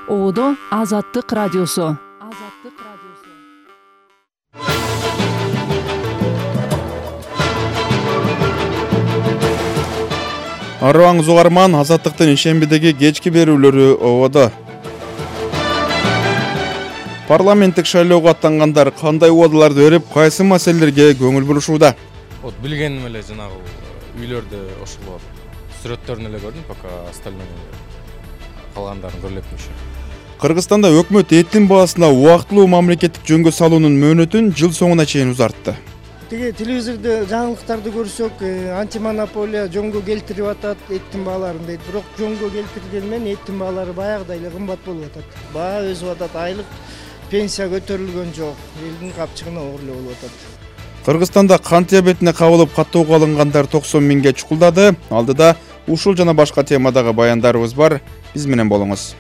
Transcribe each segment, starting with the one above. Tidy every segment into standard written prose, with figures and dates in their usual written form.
Одо Азаттык радиосу. Арыбаңыз угарман, Азаттыктын ишембидеги кечки берүүлөрү ободо. Парламенттик шайлоого аттангандар кандай убадаларды берип, кайсы маселелерге көңүл бурушууда? Вот билгеним эле жанагы үйлөрдө ошол сүрөттөрүн эле көрдүм, пока остальной калгандарын көрүлөпмүш. Кыргызстанда өкмөт эттин баасына убактылуу мамлекеттик жөнгө салуунун мөөнөтүн жыл соңуна чейин узартты. Тиги телевизордо жаңылыктарды көрсөк, антимонополия жөнгө келтирип атат эттин бааларын дейт. Бирок жөнгө келтирген менен эттин баалары баягыдай эле кымбат болуп атат. Баа өсүп атат, айлык пенсия көтөрүлгөн жок. Элдин капчыгына оор эле болуп атат. Кыргызстанда кант диабетине кабылып каттоого алынгандар 90 миңге чукулдады. Алдыда ушул жана башка темадагы баяндарыбыз бар. Биз менен болуңуз.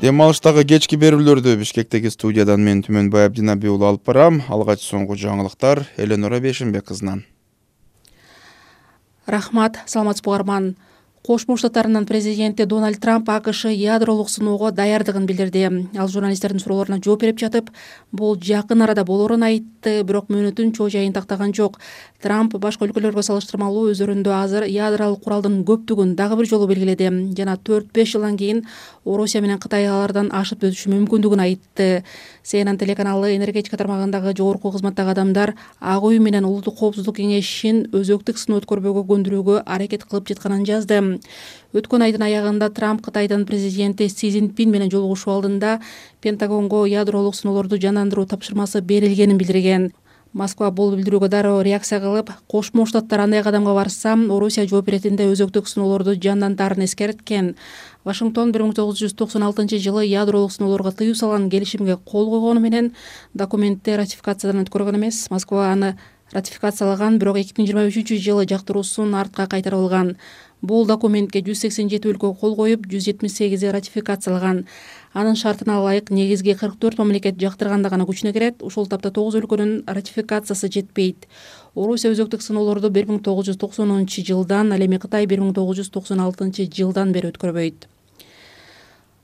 Дем алыштагы кечки берүүлөрдү Бишкектеги студиядан мен Түмөнбай Абдинаби уулу алып барам. Алгач соңку жаңылыктар Эленора Бешимбек кызынан. Рахмат, саламатсызбы угарман. Кошмо Штаттарынын президенти Дональд Трамп АКШ ядролук сыноого даярдыгын билдирди. Ал журналисттердин суроолоруна жооп берип жатып, бул жакын арада болоорун айтты, бирок мөөнөтүн чоо жайын тактаган жок. Трамп башка өлкөлөргө салыштырмалуу өздөрүндө азыр ядролук куралдын көптүгүн дагы бир жолу белгиледи жана 4-5 жылдан кийин Орусия менен Кытай алардан ашып өтүшү мүмкүндүгүн айтты. CNN телеканалы энергетика тармагындагы жогорку кызматтагы адамдар Ак үй менен Улуттук коопсуздук кеңешин өзөктүк сыноо өткөрбөөгө көндүрүүгө аракет кылып жатканын жазды. Өткөн айдын аягында Трамп Кытайдын президенти Си Цзиньпин менен жолугушуу алдында Пентагонго ядролук сыноолорду жандандыруу тапшырмасы берилгенин билдирген. Москва бул билдирүүгө дароо реакция кылып, Кошмо Штаттар андай кадамга барса, Орусия жооп беретинде өзөктүк сыноолорду жандантаарын эскерткен. Вашингтон 1996-жылы ядролук сыноолорго тыюу салган келишимге кол койгону менен документти ратификациядан өткөргөн эмес. Москва аны ратификациялаган, бирок 2023-жылы жактыруусун артка кайтарып алган. Бул документке 187 өлкө кол коюп, 178 ратификациялаган. Анын шартына ылайык негизги 44 мамлекет жактырганда гана күчүнө кирет. Ушул тапта 9 өлкөнүн ратификациясы жетпейт. Орусия өзөктүк сыноолорду 1990-жылдан, ал эми Кытай 1996-жылдан бери өткөрбөйт.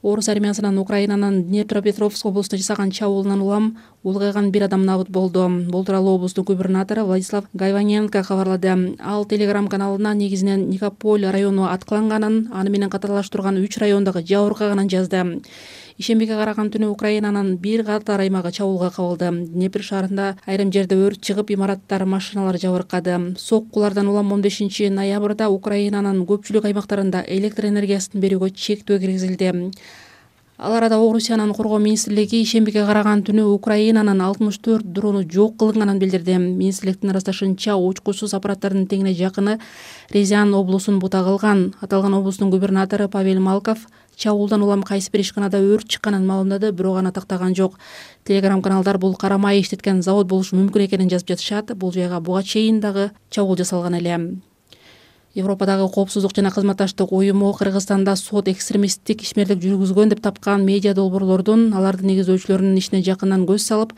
Орус армиясынын Украинанын Днепропетровск облусуна жасаган чабуулунан улам улгайган бир адам набыт болду. Бул тууралуу облустун губернатору Владислав Гайваненко кабарлады. Ал Телеграм каналына негизинен Никополь району аткыланганын, аны менен катарлаштырган 3 райондогу жабыркаганын жазды. Ишембиге караган түнү Украинанын бир катар аймагы чабуулга кабылды. Днепр шаарында айрым жерде өрт чыгып, имараттар, машиналар жабыркады. Соккулардан улам 15 ноябрда Украинанын көпчүлүк аймактарында электр энергиясын берүүгө чектөө киргизилди. Ал арада Орусиянын коргоо министрлиги ишембиге караган түнү Украинанын 64 дрону жок кылынганын билдирди. Министрликтин ырасташынча, учкучсуз аппараттардын теңине жакыны Рязань облусун бута кылган. Аталган облустун губернатору Павел Малков чабуулдан улам кайсы бир ишканада өрт чыкканын маалымдады, бирок аны тактаган жок. Телеграм каналдар бул кара май иштеткен завод болушу мүмкүн экенин жазып жатышат. Бул жайга буга чейин дагы чабуул жасалган эле. Европадагы коопсуздук жана кызматташтык уюму Кыргызстанда сот экстремисттик ишмерлик жүргүзгөн деп тапкан медиа долбоорлордун, алардын негиздөөчүлөрүнүн ишине жакындан көз салып,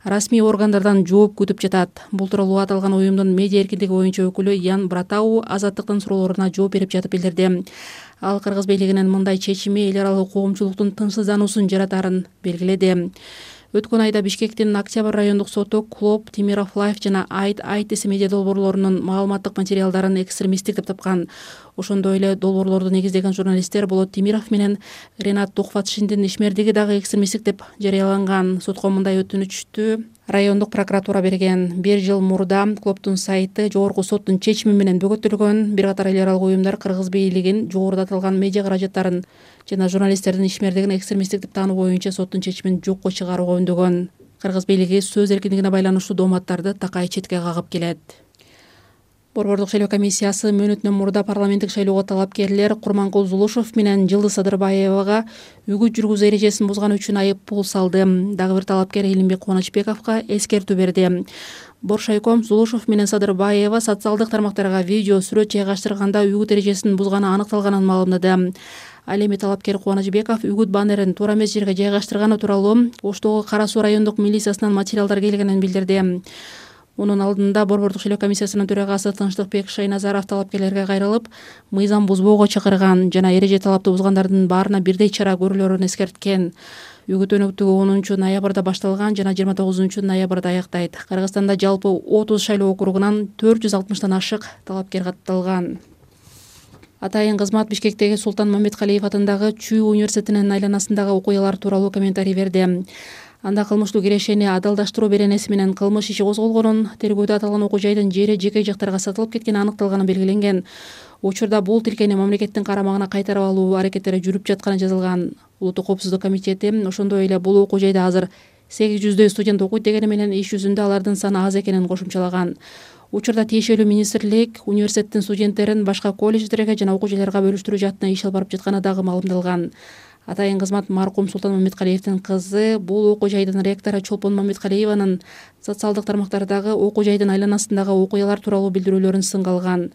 расмий органдардан жооп күтүп жатат. Бул тууралуу аталган уюмдун медиа эркиндиги боюнча өкүлү Ян Братау Азаттыктын суроолоруна жооп берип жатып билдирди. Ал Кыргыз бийлигинин мындай чечими эл аралык коомчулуктун тынчсыздануусун жаратарын белгиледи. Өткөн айда Бишкектин Октябрь райондук соту Клоп, Тимиров Лайф жана Айт медиа долбоорлорунун маалыматтык материалдарын экстремисттик деп тапкан. Ошондой эле долбоорлорду негиздеген журналисттер Болот Тимиров менен Ренат Тухватшиндин ишмердиги дагы экстремисттик деп жарыяланган. Сотко мындай өтүнүчтү райондук прокуратура берген. 1 жыл мурда Клоптун сайты жогорку соттун чечими менен бөгөтүлгөн. Бир катар эл аралык уюмдар Кыргыз бийлигин жогоруда аталган медиа каражаттарын жана журналисттердин ишмердигин экстремисттик деп таануу боюнча соттун чечимин жокко чыгарууга үндөгөн. Кыргыз бийлиги сөз эркиндигине байланыштуу дооматтарды такай четке кагып келет. Борбордук шайлоо комиссиясы мөөнөтүнөн мурда парламенттик шайлоого талапкерлер Курманкул Зулушев менен Жылдыз Садырбаевага үгүт жүргүзүү эрежесин бузган үчүн айып пул салды. Дагы бир талапкер Элимбек Кубанычбековго эскертүү берди. Боршайком Зулушев менен Садырбаева социалдык тармактарга видео сүрөт жайгаштырганда үгүт эрежесин бузганы аныкталганын маалымдады. Ал эми талапкер Кубанычбеков үгүт баннерин туура эмес жерге жайгаштырганы тууралуу Оштогу Кара Суу райондук милициясынан материалдар келгенин билдирди. Мунун алдында Борбордук шайлоо комиссиясынын төрагасы Тынчтыкбек Шайназаров талапкерлерге кайрылып, мыйзам бузбоого чакырган жана эреже талапты бузгандардын баарына бирдей чара көрүлөрүн эскерткен. Үгүт өнөктүгү 10 ноябрда башталган жана 29 ноябрда аяктайт. Кыргызстанда жалпы 30 шайлоо округунан 460тан ашык талапкер катталган. Атайын кызмат Бишкектеги Султан Мамедкалиев атындагы Чүй университетинин айланасындагы окуялар тууралуу комментарий берди. Анда кылмыштуу кирешени адалдаштыруу беренеси менен кылмыш иши козголгонун, тергөөдө аталган окуу жайдын жери жеке жактарга сатылып кеткени аныкталганы белгиленген. Учурда бул тилкени мамлекеттин карамагына кайтарып алуу аракеттери жүрүп жатканы жазылган. Улуттук коопсуздук комитети ошондой эле бул окуу жайда азыр 800 студент окуйт дегени менен иш жүзүндө алардын саны аз экенин кошумчалаган. Учурда тиешелүү министрлик университеттин студенттерин башка колледждерге жана окуу жайларга бөлүштүрүү жаатына иш алып барып жатканы дагы маалымдалган. Атайын кызмат маркум Султан Мамедкалиевдин кызы бул окуу жайдын ректору Чолпон Мамедкалиеванын социалдык тармактардагы окуу жайдын айланасындагы окуялар тууралуу билдирүүлөрүн сынга алган.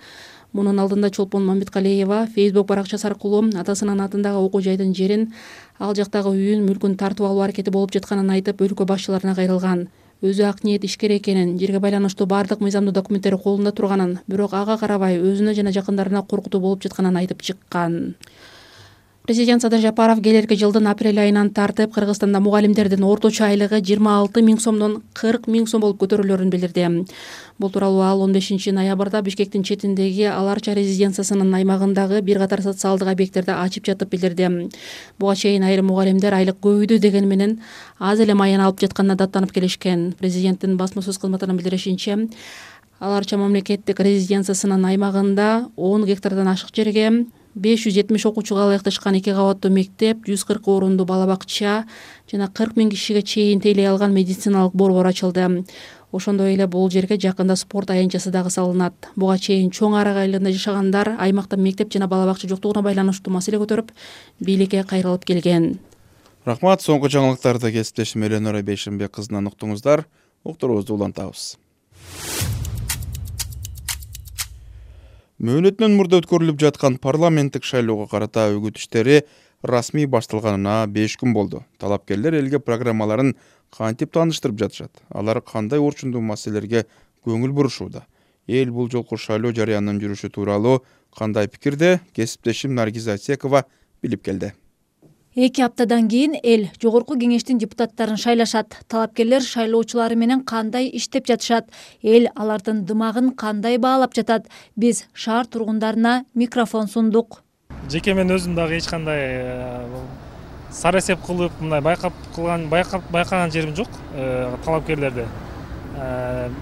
Мунун алдында Чолпон Мамедкалиева Facebook баракчасы аркылуу атасынын атындагы окуу жайдын жерин, ал жактагы үйүн, мүлкүн тартып алуу аракети болуп жатканын айтып, өлкө башчыларына кайрылган. Өзү ак ниет ишкер экенин, жерге байланыштуу бардык мыйзамдуу документтери колунда турганын, бирок ага карабай өзүнө жана жакындарына коркутуу болуп жатканын айтып чыккан. Президент Садыр Жапаров келерки жылдын апрель айынан тартып Кыргызстанда мугалимдердин орточо айлыгы 26 000 сомдон 40 000 сом болуп көтөрүлөрүн билдирди. Бул тууралуу ал 15 ноябрда Бишкектин четиндеги Аларча резиденциясынын аймагындагы бир катар социалдык объекттерди ачып жатып билдирди. Буга чейин айрым мугалимдер айлык көбөйдү деген менен аз эле майын алып жатканына даттанып келишкен. Президенттин басма сөз кызматынын билдиришинче, Аларча мамлекеттик резиденциясынын аймагында 10 гектардан ашык жерге 570 окуучуга ылайыкташкан 2 кабаттуу мектеп, 140 орунду бала бакча жана 40 000 кишиге чейин тейлей алган медициналык борбор ачылды. Ошондой эле бул жерге жакында спорт аянтчасы дагы салынат. Буга чейин чоң арак айылында жашагандар аймакта мектеп жана бала бакча жоктугуна байланыштуу маселе көтөрүп, бийликке кайрылып келген. Рахмат, соңку жаңылыктарды кесиптешим Эленора Бейшенбек кызынан уктуңуздар. Уктуруубузду улантабыз. Мөөнөтүнөн мурда өткөрүлүп жаткан парламенттик шайлоого карата үгүт иштери расмий башталганына 5 күн болду. Талапкерлер элге программаларын кантип тааныштырып жатышат? Алар кандай орчундуу маселелерге көңүл бурушууда? Эл бул жолку шайлоо жарыянын жүрүшү тууралуу кандай пикирде? Кесиптешим Наргиза Асекова билип келди. 2 аптадан кийин эл жогорку кеңештин депутаттарын шайлашат. Талапкерлер шайлоочулары менен кандай иштеп жатышат? Эл алардын дымагын кандай баалап жатат? Биз шаар тургундарына микрофон сундук. Жеке мен өзүм дагы эч кандай сарасеп кылып, мындай байкаган жерим жок талапкерлерди.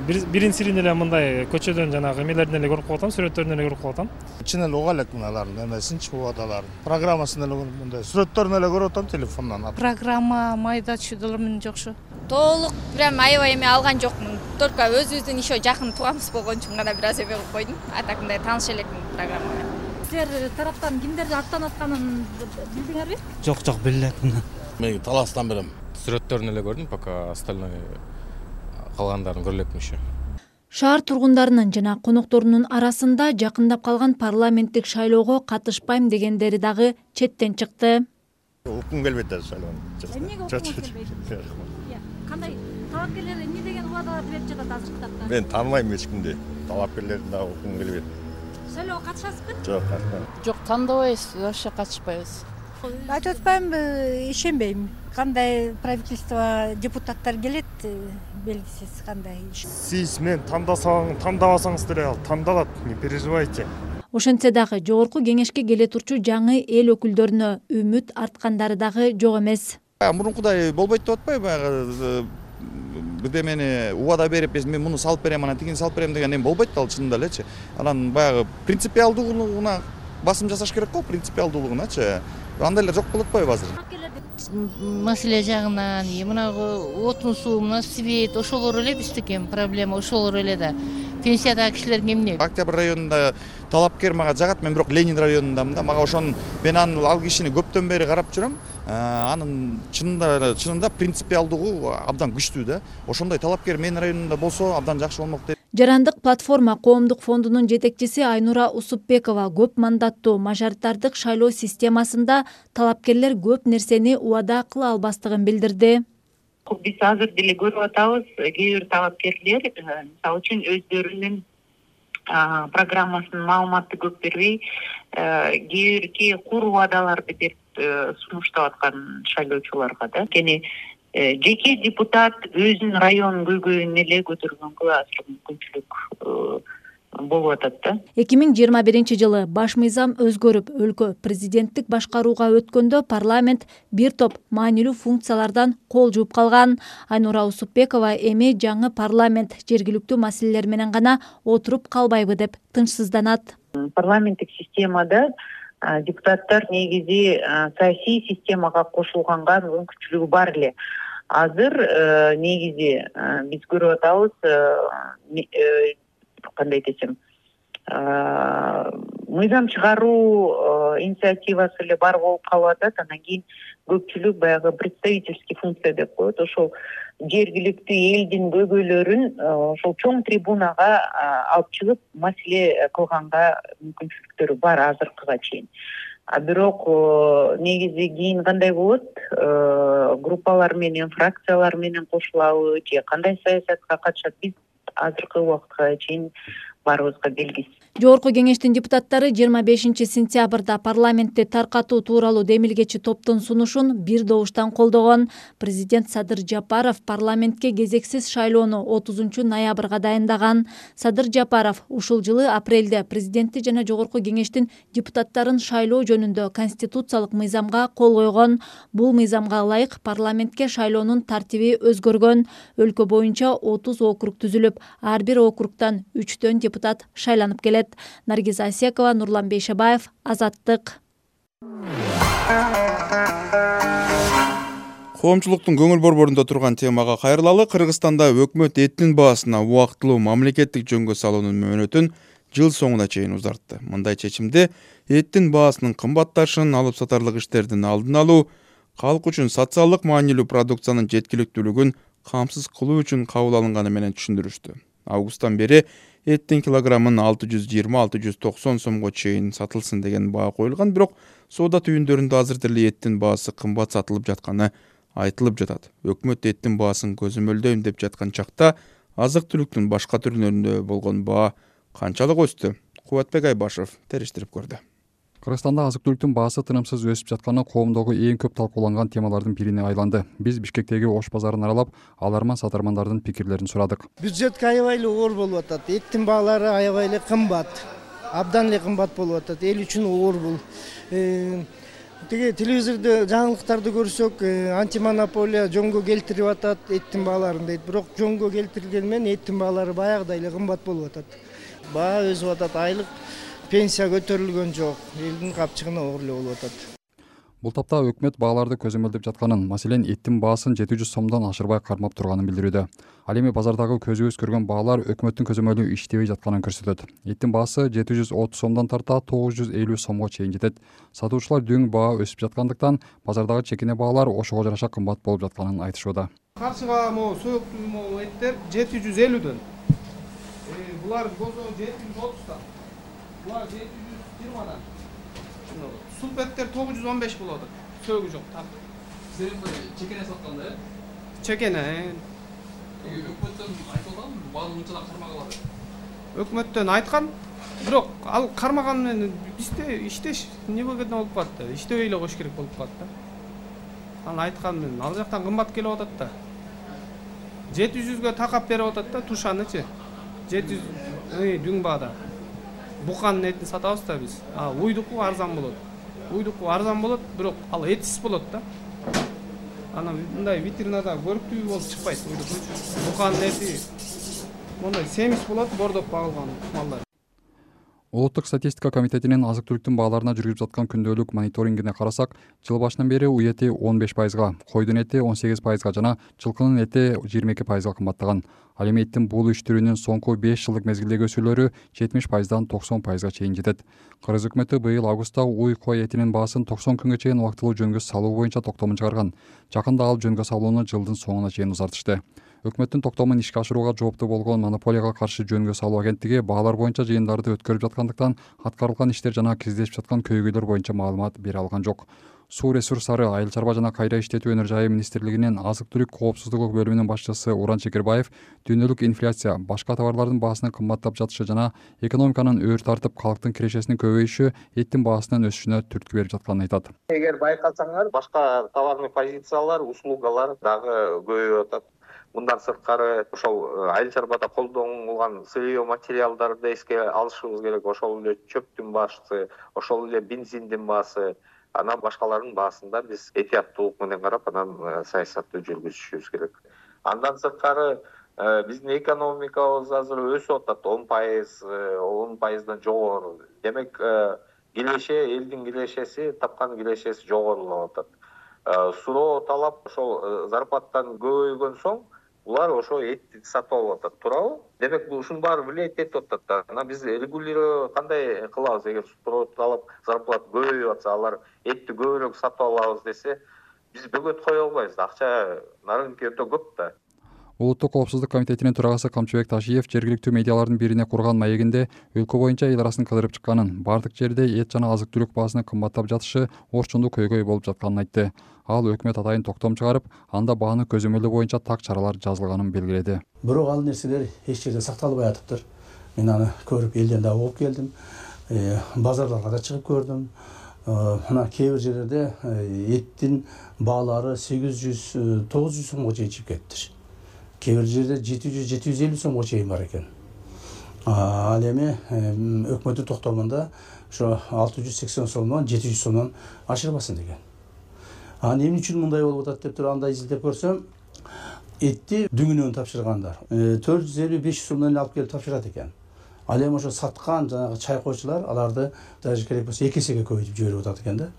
Бирин сирин эле мындай көчөдөн жанагы эмелерден эле көрүп калатам, сүрөттөрүнөн эле көрүп калатам. Чын эле уга элек мыналардын эмесинчи убадаларын. Программасын эле мындай сүрөттөрүн эле көрүп атам телефондон. Программа майда чүйдөлөрүм жокшу. Толук прям аябай эме алган жокмун. Только өзүбүздүн ишо жакын тууганыбыз болгон үчүн гана бир аз эме кылып койдум. Атакындай тааныш элекмин программага. Силер тараптан кимдерди аттанып атканын билдиңерби? Жок, билбейм. Мен таластан берем. Сүрөттөрүн эле көрдүм, пока остальной калгандарын көрө элекмин еще. Шаар тургундарынын жана конокторунун арасында жакындап калган парламенттик шайлоого катышпайм дегендери дагы четтен чыкты. Уккум келбейт да шайлоо. Эмнеге уккуңуз келбейт? Кандай талапкерлер эмне деген убадаларды берип жатат азыркы тапта? Мен тааныбайм эч кимди. Талапкерлердин дагы уккум келбейт. Шайлоого катышасызбы? Жок, катышпайм. Жок, тандабайбыз, вообще катышпайбыз. Айтып атпаймынбы, ишенбейм. Кандай правительство депутаттар келет, белгисиз кандай. Сиз мен тандабасаңыз деле ал тандалат, не переживайте. Ошентсе дагы жогорку кеңешке келе турчу жаңы эл өкүлдөрүнө үмүт арткандары дагы жок эмес. Мурункудай болбойт деп атпайбы? Баягы бирдемени убада берип, мен муну салып берем, анан тигини салып берем деген эме болбойт ал чынында элечи. Анан баягы принципиалдуулугуна басым жасаш керек го, принципиалдуулугуначы. Андай эле жок болуп атпайбы азыр? Маселе жагынан, мынагы отун суу, мына свет, ошолор эле биздики проблема, ошолор эле да. Пенсиядагы кишилерге эмне? Октябрь районунда талапкер мага жагат, мен бирок Ленин районундамын да. Мага ошонун мен ал кишини көптөн бери карап жүрөм. Анын чынында принципиалдыгы абдан күчтүү да. Ошондой талапкер менин районумда болсо абдан жакшы болмок деп. Жарандык платформа коомдук фондунун жетекчиси Айнура Усупбекова көп мандаттуу мажоритардык шайлоо системасында талапкерлер көп нерсени убада кыла албастыгын билдирди. Биз азыр деле көрүп атабыз, кээ бир талапкерлер мисалы үчүн өздөрүнүн программасынын маалыматты көп бербей, кээ бирки куру убадаларды берип сунуштап аткан шайлоочуларга да. Анткени жеке депутат өзүнүн районун көйгөйүн эле көтөргөнгө азыр мүмкүнчүлүк болуп атат да. 2021 баш мыйзам өзгөрүп, өлкө президенттик башкарууга өткөндө парламент бир топ маанилүү функциялардан кол жууп калган. Айнура Усупбекова эми жаңы парламент жергиликтүү маселелер менен гана отуруп калбайбы деп тынчсызданат. Парламенттик системада депутаттар негизи саясий системага кошулганга мүмкүнчүлүгү бар эле. Азыр негизи биз көрүп атабыз, кандай десем, мыйзам чыгаруу инициативасы эле бар болуп калып атат. Анан кийин көпчүлүк баягы представительский функция деп коет. Ошол жергиликтүү элдин көйгөйлөрүн ошол чоң трибунага алып чыгып маселе кылганга мүмкүнчүлүктөрү бар азыркыга чейин. Бирок негизи кийин кандай болот? Группалар менен, фракциялар менен кошулабы же кандай саясатка катышат, биз азыркы убакытка чейин баарыбызга белгисиз. Жогорку кеңештин депутаттары 25 сентябрда парламентти таркатуу тууралуу демилгечи топтун сунушун бир добуштан колдогон. Президент Садыр Жапаров парламентке кезексиз шайлоону 30 ноябрга дайындаган. Садыр Жапаров ушул жылы апрелде президентти жана жогорку кеңештин депутаттарын шайлоо жөнүндө конституциялык мыйзамга кол койгон. Бул мыйзамга ылайык парламентке шайлоонун тартиби өзгөргөн. Өлкө боюнча 30 округ түзүлүп, ар бир округтан 3 депутат шайланып келет. Наргиз Асекова, Нурлан Бейшебаев, Азаттык. Коомчулуктун көңүл борборунда турган темага кайрылалы. Кыргызстанда өкмөт эттин баасына убактылуу мамлекеттик жөнгө салуунун мөөнөтүн жыл соңуна чейин узартты. Мындай чечимде эттин баасынын кымбатташын, алып сатарлык иштердин алдын алуу, калк үчүн социалдык маанилүү продукциянын жеткиликтүүлүгүн камсыз кылуу үчүн кабыл алынганы менен түшүндүрүштү. Августтан бери эттин килограммын 620-690 сомго чейин сатылсын деген баа коюлган, бирок соода түйүндөрүндө азыр деле эттин баасы кымбат сатылып жатканы айтылып жатат. Өкмөт эттин баасын көзөмөлдөйм деп жаткан чакта азык-түлүктүн башка түрлөрүндө болгон баа канчалык өстү? Кубатбек Айбашев териштирип көрдү. Кыргызстанда азык-түлүктүн баасы тынымсыз өсүп жатканы коомдогу эң көп талкууланган темалардын бирине айланды. Биз Бишкектеги Ош базарын аралап, аларман сатармандардын пикирлерин сурадык. Бюджетке аябай эле оор болуп атат. Эттин баалары аябай эле кымбат. Абдан эле кымбат болуп атат. Эл үчүн оор бул. Тиги телевизордо жаңылыктарды көрсөк, антимонополия жөнгө келтирип атат эттин бааларын дейт. Бирок жөнгө келтирилгени менен эттин баалары баягыдай эле кымбат болуп атат. Баа өсүп атат, айлык пенсия көтөрүлгөн жок. Элдин капчыгына оор эле болуп атат. Бул тапта өкмөт бааларды көзөмөлдөп жатканын, маселен эттин баасын 700 сомдон ашырбай кармап турганын билдирүүдө. Ал эми базардагы көзүбүз көргөн баалар өкмөттүн көзөмөлү иштебей жатканын көрсөтөт. Эттин баасы 730 сомдон тарта 950 сомго чейин жетет. Сатуучулар дөң баа өсүп жаткандыктан базардагы чекине баалар ошого жараша кымбат болуп жатканын айтышууда. Каршыга могу сөөктүү эттер 750дөн. Булар болсо 730дан. Булар 720дан. Суп эттер 915 болот. Сөөгү жок. Сиздер чекене сатканда, э? Чекене. Өкмөттөн айтылган, бааны мынча кармагалады. Өкмөттөн айткан, бирок ал кармаган менен бизде иштеш небеге болуп калат. Иштебей эле кош керек болуп калат да. Ал айткан менен ал жактан кымбат келип атат да. 700гө такап берип атат да тушанычы. 700 дүң баада. Буканын этин сатабыз да биз. Уйдуку арзан болот. Уйдуку арзан болот, бирок ал этсиз болот да. Анан мындай витринада көрүктүү болуп чыкпайт уйдуку. Буканын эти мондай семиз болот, бордоп багылган малдар. Улуттук статистика комитетинин азык-түлүктүн бааларына жүргүзүп жаткан күндөлүк мониторингине карасак, жыл башынан бери уй эти 15%, койдун эти 18% жана жылкынын эти 22% кымбаттаган. Ал эми эттин бул үч түрүнүн соңку 5 жылдык мезгилдеги өсүүлөрү 70%дан 90%га чейин жетет. Кыргыз өкмөтү быйыл августта уй кой этинин баасын 90 күнгө чейин убактылуу жөнгө салуу боюнча токтомун чыгарган. Жакында ал жөнгө салууну жылдын соңуна чейин узартышты. Өкмөттүн токтомун ишке ашырууга жооптуу болгон монополияга каршы жөнгө салуу агенттиги баалар боюнча жыйындарды өткөрүп жаткандыктан аткарылган иштер жана киргизилип жаткан көйгөйлөр боюнча маалымат бере алган жок. Суу ресурстары, айыл чарба жана кайра иштетүү өнөр жайы министрлигинин азык түлүк коопсуздугу бөлүмүнүн башчысы Уран Чекербаев дүйнөлүк инфляция, башка товарлардын баасынын кымбаттап жатышы жана экономиканын өөр тартып калктын кирешесинин көбөйүшү эттин баасынын өсүшүнө түрткү берип жатканын айтат. Эгер байкасаңар, башка товарный позициялар, услугалар дагы көбөйүп атат. Мындан сырткары ошол айыл чарбада колдонулган сырье материалдарды эске алышыбыз керек. Ошол эле чөптүн баасы, ошол эле бензиндин баасы, анан башкалардын баасында биз этияттуулук менен карап, анан саясатты жүргүзүшүбүз керек. Андан сырткары биздин экономикабыз азыр өсүп атат, 10%дан жогору. Демек, элдин кирешеси, тапкан кирешеси жогорулап атат. Суроо талап ошол зарплаттан көбөйгөн соң булар ошо этти сатып алып атат, туурабы? Демек, ушунун баары влиять этип атат да. Анан биз регулировать кандай кылабыз? Эгер суроо талап зарплат көбөйүп атса, алар этти көбүрөөк сатып алабыз десе, биз бөгөт кое албайбыз. Акча на рынке өтө көп да. Улуттук коопсуздук комитетинин төрагасы Камчыбек Ташиев жергиликтүү медиалардын бирине курган маегинде өлкө боюнча эл арасын кыдырып чыкканын, бардык жерде эт жана азык түлүк баасынын кымбаттап жатышы орчунду көйгөй болуп жатканын айтты. Ал өкмөт атайын токтом чыгарып, анда бааны көзөмөлдөө боюнча так чаралар жазылганын белгиледи. Бирок ал нерселер эч жерде сакталбай атыптыр. Мен аны көрүп элден да угуп келдим. Базарларга да чыгып көрдүм. Мына кээ бир жерлерде эттин баалары 800-900 сомго чейин чыгып кетиптир. Кээ бир жерде 700-750 сомго чейин бар экен. Ал эми өкмөттүн токтомунда ошо 680 сомдон 700 сомдон ашырбасын деген. Анан эмне үчүн мындай болуп атат деп туруп анда изилдеп көрсөм, этти дүңүнөн тапшыргандар 450-500 сомдон алып келип тапшырат экен. Ал эми ошо саткан жанагы чайкоочулар аларды даже керек болсо 2 эсеге көбөйтүп жиберип атат экен да.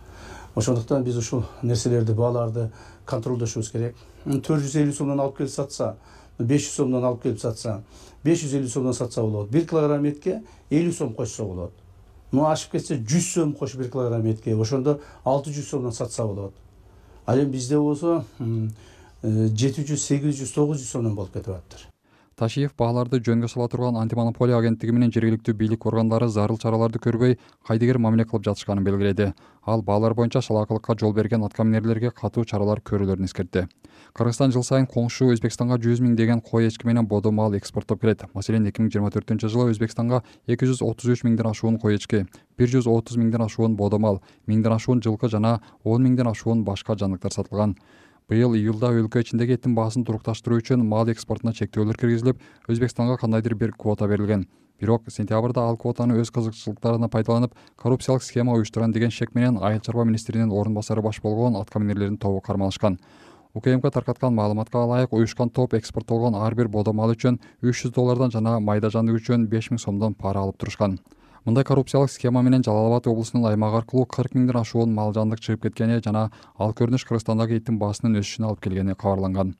Ошондуктан биз ушул нерселерди, бааларды контролдошубуз керек. 450 сомдон алып келип сатса, 500 сомдон алып келип сатса, 550 сомдон сатса болот. 1 килограмм этке 50 сом кошсо болот. Ашып кетсе 100 сом кош 1 килограмм этке. Ошондо 600 сомдон сатса болот. Ал эми бизде болсо 700, 800, 900 сомдон болуп кетип атыптыр. Ташиев бааларды жөнгө сала турган антимонополия агенттиги менен жергиликтүү бийлик органдары зарыл чараларды көрбөй, кайдыгер мамиле кылып жатышканын белгиледи. Ал баалар боюнча шалаакылыкка жол берген аткаминерлерге катуу чаралар көрүүлөрүн эскертти. Кыргызстан жыл сайын коңшу Өзбекстанга 100 000 деген кой эчки менен бодо мал экспорттоп келет. Маселен, 2024-жылы Өзбекстанга 233 000ден ашуун кой эчки, 130 000ден ашуун бодо мал, 1000ден ашуун жылкы жана 10 000ден ашуун башка жандыктар сатылган. Быйыл июлда өлкө ичиндеги эттин баасын турукташтыруу үчүн мал экспортуна чектөөлөр киргизилип, Өзбекстанга кандайдыр бир квота берилген. Бирок сентябрда ал квотаны өз кызыкчылыктарына пайдаланып, коррупциялык схема уюштурган деген шек менен айыл чарба министринин орун басары баш болгон аткаминерлердин тобу кармалышкан. УКМК таркаткан маалыматка ылайык, уюшкан топ экспорттолгон ар бир бодо мал үчүн $300 жана майда жандык үчүн 5000 сомдон пара алып турушкан. Мындай коррупциялык схема менен Жалал Абад облусунун аймагы аркылуу 40 000ден ашуун мал жандык чыгып кеткени жана ал көрүнүш Кыргызстандагы эттин баасынын өсүшүнө алып келгени кабарланган.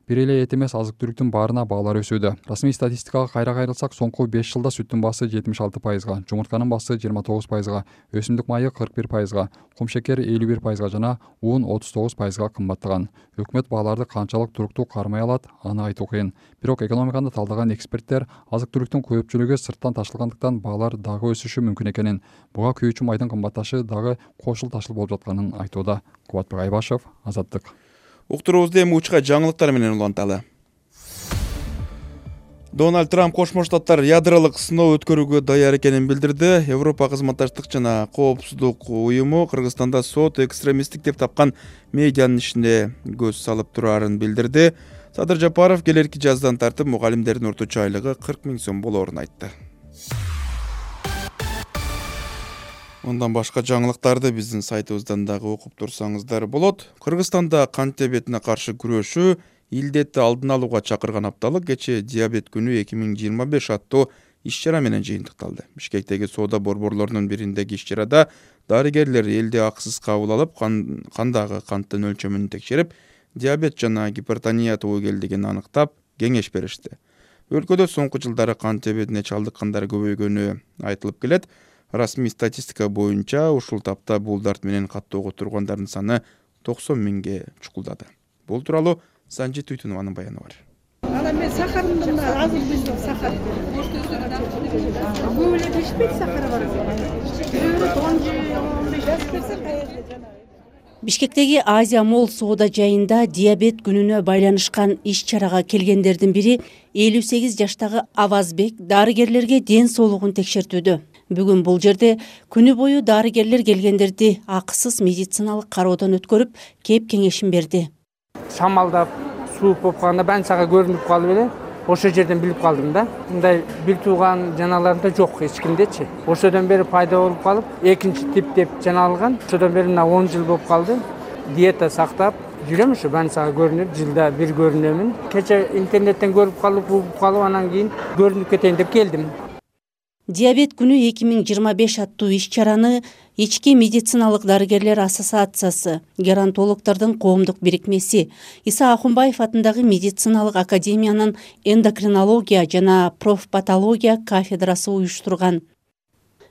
Бир эле эт эмес, азык түлүктүн баарына баалар өсүүдө. Расмий статистикага кайра кайрылсак, соңку 5 жылда сүттүн баасы 76%, жумуртканын баасы 29%, өсүмдүк майы 41%, кумшекер 51% жана ун 39% кымбаттаган. Өкмөт бааларды канчалык туруктуу кармай алат, аны айтуу кыйын. Бирок экономиканы талдаган эксперттер азык түлүктүн көпчүлүгү сырттан ташылгандыктан баалар дагы өсүшү мүмкүн экенин, буга күйүүчү майдын кымбатташы дагы кошул ташыл болуп жатканын айтууда. Кубатбек Айбашев, Азаттык. Уктуруубузду эми учка жаңылыктар менен уланталы. Дональд Трамп Кошмо Штаттар ядролук сыноо өткөрүүгө даяр экенин билдирди. Европа кызматташтык жана коопсуздук уюму Кыргызстанда сот экстремисттик деп тапкан медианын ишине көз салып турарын билдирди. Садыр Жапаров келерки жаздан тартып мугалимдердин орточо айлыгы 40 000 сом болоорун айтты. Ондан башка жаңылыктарды биздин сайтыбыздан дагы окуп турсаңыздар болот. Кыргызстанда кант диабетине каршы күрөшүү, илдетти алдын алууга чакырган апталык кечээ диабет күнү 2025 аттуу иш-чара менен жыйынтыкталды. Бишкектеги соода борборлорунун бириндеги иш-чарада дарыгерлер элди акысыз кабыл алып, кандагы канттын өлчөмүн текшерип, диабет жана гипертония тобокелдигин аныктап, кеңеш беришти. Өлкөдө соңку жылдары кант диабетине чалдыккандар көбөйгөнү айтылып келет. Расмий статистика боюнча ушул тапта бул дарт менен каттоого тургандардын саны 90 000ге чукулдады. Бул тууралуу Санжи Туйтунованын баяны бар. Ана мен сахарымды азыр билдим, сахар. Көп эле ишпейт, сахары бар. 10-15 жаз берсе кайерде жанагы. Бишкектеги Азия Молл соода жайында диабет күнүнө байланышкан иш-чарага келгендердин бири 58 жаштагы Авазбек дарыгерлерге ден соолугун текшертүүдө. Бүгүн бул жерде күнү бою дарыгерлер келгендерди акысыз медициналык кароодон өткөрүп, кеп кеңешин берди. Шамалдап, суук болуп калганда баары сага көрүнүп калып эле, ошол жерден билип калдым да. Мындай бир тууган жаналарымда жок эч кимдечи. Ошодон бери пайда болуп калып, экинчи тип деп жаналган. Ошодон бери мына 10 жыл болуп калды. Диета сактап жүрөм, ушу баары сага көрүнүп, жылда бир көрүнөмүн. Кече интернеттен көрүп калып, угуп калып, анан кийин көрүнүп кетейин деп келдим. Диабет күнү 2025 аттуу иш-чараны Ички медициналык дарыгерлер ассоциациясы, геронтологдордун коомдук бирикмеси, Иса Ахунбаев атындагы медициналык академиянын эндокринология жана профпатология кафедрасы уюштурган.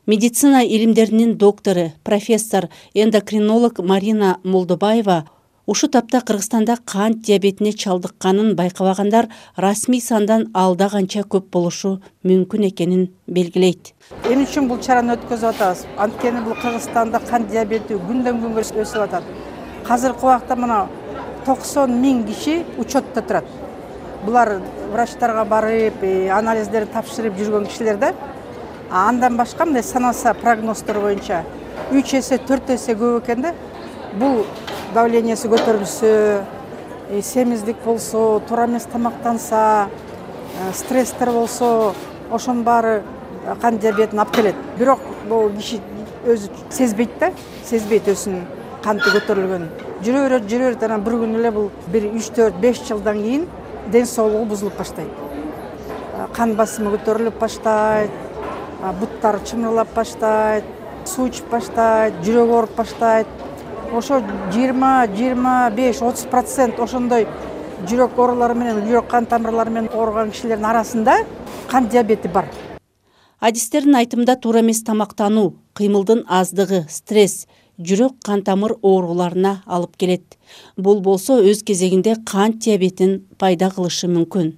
Медицина илимдеринин доктору, профессор, эндокринолог Марина Молдобаева ушу тапта Кыргызстанда кант диабетине чалдыкканын байкабагандар расмий сандан алда канча көп болушу мүмкүн экенин белгилейт. Эмне үчүн бул чараны өткөзүп атабыз? Анткени бул Кыргызстанда кант диабети күндөн күнгө өсүп атат. Азыркы убакта мына 90 000 киши учетто турат. Булар врачтарга барып, анализдерин тапшырып жүргөн кишилер да. Андан башка мындай саналса прогноздор боюнча 3 эсе, 4 эсе көп экен да. Бул давлениясы көтөрүлсө, семиздик болсо, туура эмес тамактанса, стресстер болсо, ошонун баары кант диабетин алып келет. Бирок бул киши өзү сезбейт да, сезбейт өзүнүн канты көтөрүлгөнүн. Жүрө берет, анан бир күн эле бул 1, 3, 4, 5 жылдан кийин ден соолугу бузулуп баштайт. Кан басымы көтөрүлүп баштайт, буттары чымырлап баштайт, суу ичип баштайт, жүрөгү ооруп баштайт. Ошо 20-25-30% ошондой жүрөк оорулары менен, жүрөк кан тамырлары менен ооруган кишилердин арасында кант диабети бар. Адистердин айтымында туура эмес тамактануу, кыймылдын аздыгы, стресс жүрөк кан тамыр ооруларына алып келет. Бул болсо өз кезегинде кант диабетин пайда кылышы мүмкүн.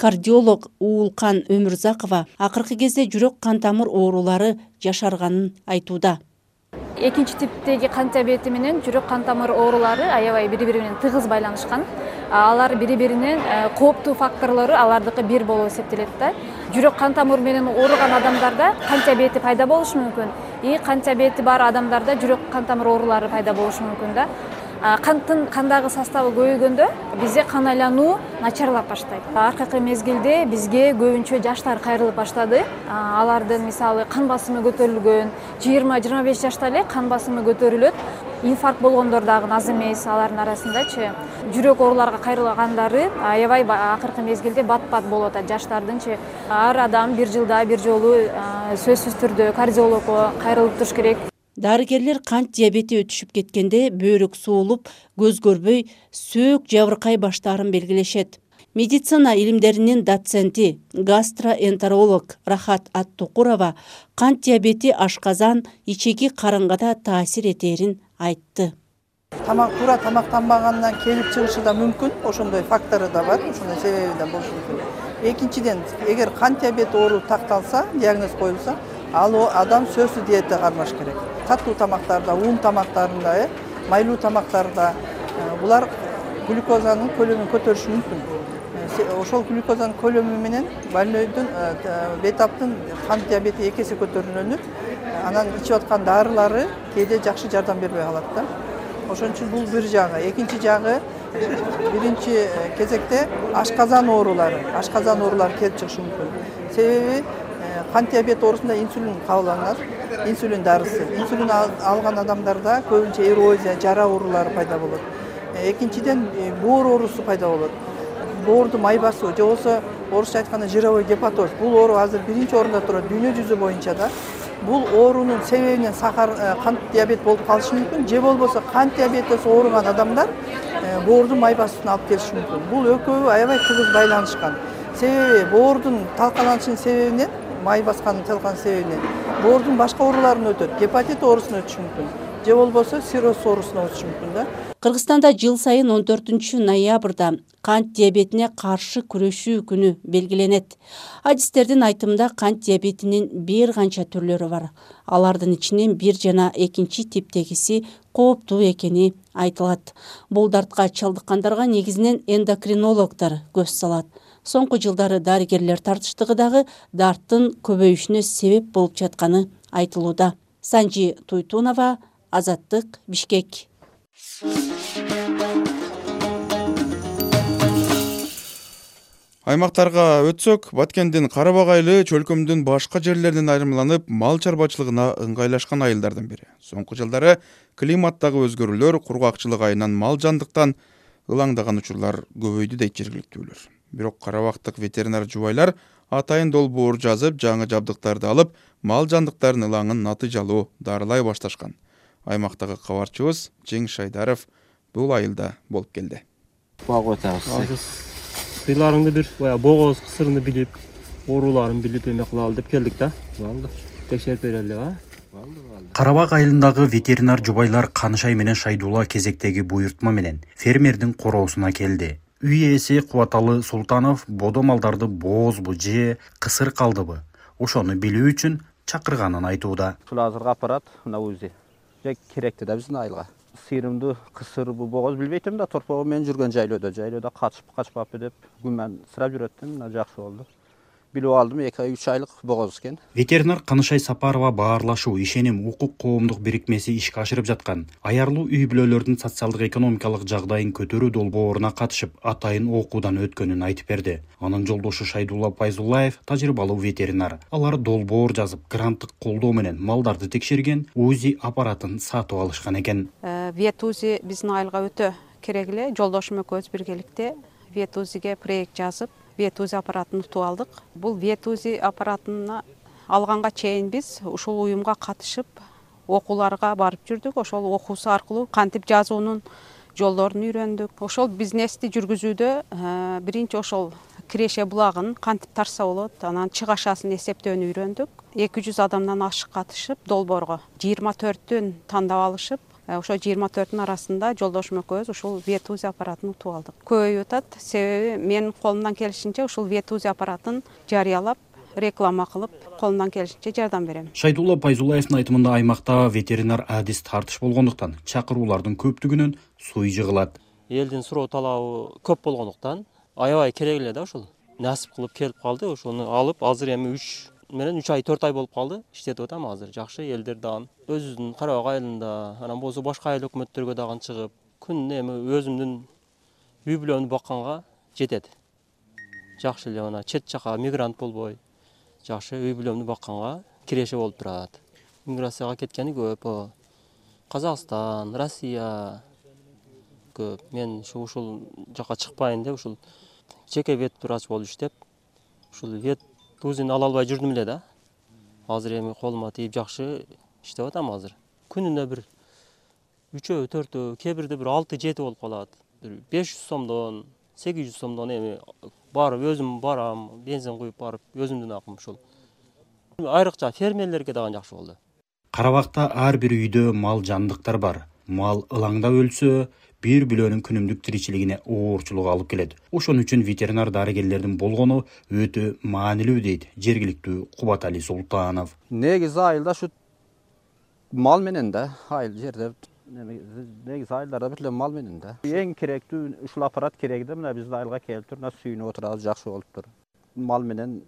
Кардиолог Уулкан Өмүрзакова акыркы кезде жүрөк кан тамыр оорулары жашарганын айтууда. Экинчи типтеги кант диабети менен жүрөк кан тамыр оорулары аябай бири-бири менен тыгыз байланышкан. Алар бири-биринин кооптуу факторлору алардыкы бир болуп эсептелет да. Жүрөк кан тамыр менен ооруган адамдарда кант диабети пайда болушу мүмкүн. Кант диабети бар адамдарда жүрөк кан тамыр оорулары пайда болушу мүмкүн да. Канттын кандагы составы көбөйгөндө бизде кан айлануу начарлап баштайт. Аркыркы мезгилде бизге көбүнчө жаштар кайрылып баштады. Алардын мисалы кан басымы көтөрүлгөн, 20-25 жашта эле кан басымы көтөрүлөт. Инфаркт болгондор дагы аз эмес алардын арасындачы. Жүрөк ооруларга кайрылгандары аябай акыркы мезгилде бат-бат болуп атат жаштардынчы. Ар адам бир жылда бир жолу сөзсүз түрдө кардиологко кайрылып туруш керек. Дарыгерлер кант диабети өтүшүп кеткенде бөөрүк суулуп, көз көрбөй, сөөк жабыркай баштаарын белгилешет. Медицина илимдеринин доценти, гастроэнтеролог Рахат Аттукурова кант диабети ашказан, ичеги карынга да таасир этерин айтты. Туура тамактанбагандан келип чыгышы да мүмкүн, ошондой фактору да бар, ошондой себеби да болушу мүмкүн. Экинчиден, эгер кант диабети оору такталса, диагноз коюлса, ал адам сөзсүз диета кармаш керек. Катуу тамактарда, ун тамактарында, майлуу тамактарда булар глюкозанын көлөмүн көтөрүшү мүмкүн. Ошол глюкозанын көлөмү менен больнойдун бетаптын кант диабети 2 эсе көтөрүлөнүп, анан ичип аткан дарылары кээде жакшы жардам бербей калат да. Ошон үчүн бул бир жагы. Экинчи жагы, биринчи кезекте ашказан оорулары келип чыгышы мүмкүн. Себеби кант диабети оорусунда инсулин кабылданат, инсулин дарысы. Инсулин алган адамдарда көбүнчө эрозия, жара оорулары пайда болот. Экинчиден боор оорусу пайда болот. Боорду май басуу, же болбосо орусча айтканда жировой гепатоз. Бул оору азыр биринчи орунда турат дүйнө жүзү боюнча да. Бул оорунун себебинен кант диабет болуп калышы мүмкүн, же болбосо кант диабетиси ооруган адамдар боордун май басуусуна алып келиши мүмкүн. Бул экөө аябай тыгыз байланышкан. Себеби боордун талкаланышынын себебинен, май баскандын талкаланышынын себебинен боордун башка ооруларын өтөт, гепатит оорусун өтүшү мүмкүн. же болбосо сироз оорусуна өтүшү мүмкүн да. Кыргызстанда жыл сайын 14 ноябрда кант диабетине каршы күрөшүү күнү белгиленет. Адистердин айтымында кант диабетинин бир канча түрлөрү бар. Алардын ичинен 1 жана 2 типтегиси кооптуу экени айтылат. Бул дартка чалдыккандарга негизинен эндокринологдор көз салат. Соңку жылдары дарыгерлер тартыштыгы дагы дарттын көбөйүшүнө себеп болуп жатканы айтылууда. Санжи Туйтунова, Азаттык, Бишкек. Аймактарга өтсөк, Баткендин Карабак айылы чөлкөмдүн башка жерлеринен айырмаланып, мал чарбачылыгына ыңгайлашкан айылдардын бири. Соңку жылдары климаттагы өзгөрүүлөр кургакчылык айынан мал жандыктан ылаңдаган учурлар көбөйдү дейт жергиликтүүлөр. Бирок карабактык ветеринар жубайлар атайын долбоор жазып, жаңы жабдыктарды алып, мал жандыктардын ылаңын натыйжалуу дарылай башташкан. Аймактагы кабарчыбыз Жеңиш Айдаров бул айылда болуп келди. Сыйларыңды бир богоз кысырын билип, ооруларын билип эме кылалы деп келдик да. Болду. Текшерип берели, а? Карабак айылындагы ветеринар жубайлар Канышай менен Шайдулла кезектеги буйртма менен фермердин короосуна келди. Үй ээси Кубаталы Султанов бодо малдарды боозбу же кысыр калдыбы? Ошону билүү үчүн чакырганын айтууда. Ушул азыркы аппарат мына УЗИ керекти да биздин айылга. Сыйрымды кысырбы богоз билбейтим да, торпогу мен жүргөн жайлоодо качпаппы деп күмөнсүрөп жүрөттүм, мына жакшы болду. Билип алдым, 2-3 айлык богоз экен. Ветеринар Канышай Сапарова баарлашуу, ишеним, укук коомдук бирикмеси ишке ашырып жаткан аярлуу үй бүлөлөрдүн социалдык экономикалык жагдайын көтөрүү долбооруна катышып, атайын окуудан өткөнүн айтып берди. Анын жолдошу Шайдулла Пайзуллаев тажрыйбалуу ветеринар. Алар долбоор жазып, гранттык колдоо менен малдарды текшерген УЗИ аппаратын сатып алышкан экен. ВетУЗИ биздин айылга өтө керек эле. Жолдошум экөөбүз биргеликте ВетУЗИге проект жазып, ВетУЗИ аппаратын утуп алдык. Бул ВетУЗИ аппаратына алганга чейин биз ушул уюмга катышып, окууларга барып жүрдүк. Ошол окуусу аркылуу кантип жазуунун жолдорун үйрөндүк. Ошол бизнести жүргүзүүдө биринчи ошол киреше булагын кантип тарса болот, анан чыгашасын эсептөөнү үйрөндүк. 200 адамдан ашык катышып, долбоорго 24-төн тандап алышып, ошо 24-тün арасында жолдошум экөөбүз ушул ВетУЗИ аппаратын утуп алдык. Көбөйүп атат, себеби менин колумдан келишинче ушул ВетУЗИ аппаратын жарыялап, реклама кылып, колумдан келишинче жардам берем. Шайдулла Пайзуллаевдин айтымында аймакта ветеринар адис тартыш болгондуктан чакыруулардын көптүгүнөн суй жыгылат. Элдин суроо талабы көп болгондуктан аябай керек эле да ушул. Насип кылып келип калды, ошону алып азыр эми 3 ай 4 ай болуп калды. Иштетип атам азыр. Жакшы элдер дагы өзүбүздүн Карабак айылында, анан болсо башка айыл өкмөттөргө дагы чыгып, күнүнө эми өзүмдүн үй бүлөмдү бакканга жетет. Жакшы эле мына чет жака мигрант болбой, жакшы үй бүлөмдү бакканга киреше болуп турат. Миграцияга кеткени көп. Казакстан, Россия көп. Мен ушул жака чыкпайын деп ушул жеке вет врач болуп иштеп, ушул ВетУЗИни ала албай жүрдүм эле да. Азыр эми колума тийип жакшы иштеп атам азыр. Күнүнө бир 3-өө, 4-өө, кээ бирде бир 6-7 болуп калат. 500 сомдон, 800 сомдон эми барып өзүм барам, бензин куюп барып, өзүмдүн акым ушул. Айрыкча фермерлерге дагы жакшы болду. Карабакта ар бир үйдө мал жандыктар бар. Мал ылаңдап өлсө, бир бүлөнүн күнүмдүк тиричилигине оорчулук алып келет. Ошон үчүн ветеринар дарыгерлердин болгону өтө маанилүү дейт жергиликтүү Кубатали Султанов. Негизи айылда ушу мал менен да, айыл жерде негизи айылдарда бүт эле мал менен да. Эң керектүү ушул аппарат керек да, мына биздин айылга келип тур, мына сүйүнүп отурабыз, жакшы болуп тур. Мал менен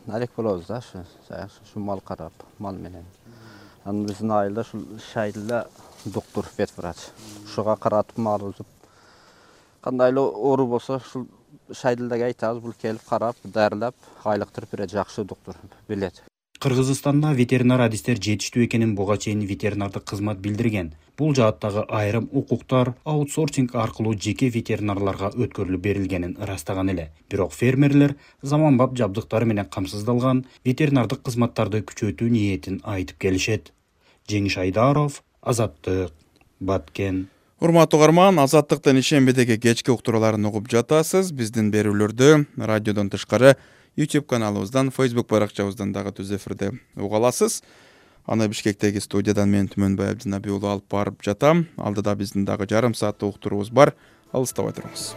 алек болобуз да, ушу мал карап, мал менен. Анан биздин айылда ушул Шайдулла доктор ветврач. Ушуга каратып мал узуп, кандай эле оору болсо ушул Шайдуллага айтабыз, бул келип карап, дарылап, айлыктырып берет, жакшы доктор билет. Кыргызстанда ветеринар адистер жетиштүү экенин буга чейин ветеринардык кызмат билдирген. Бул жааттагы айрым укуктар аутсорсинг аркылуу жеке ветеринарларга өткөрүлүп берилгенин ырастаган эле. Бирок фермерлер заманбап жабдыктары менен камсыздалган ветеринардык кызматтарды күчөтүү ниетин айтып келишет. Жеңиш Айдаров, Азаттык, Баткен. Урматтуу угарман, Азаттыктын ишембедеги кечки уктурууларын угуп жатасыз. Биздин берүүлөрдү радиодон тышкары YouTube каналыбыздан, Facebook баракчабыздан дагы түз эфирде уга аласыз. Аны Бишкектеги студиядан мен Түмөнбай Абдинабий уулу алып барып жатам. Алдыда биздин дагы жарым сааттык уктуруубуз бар. Алыстабай туруңуз.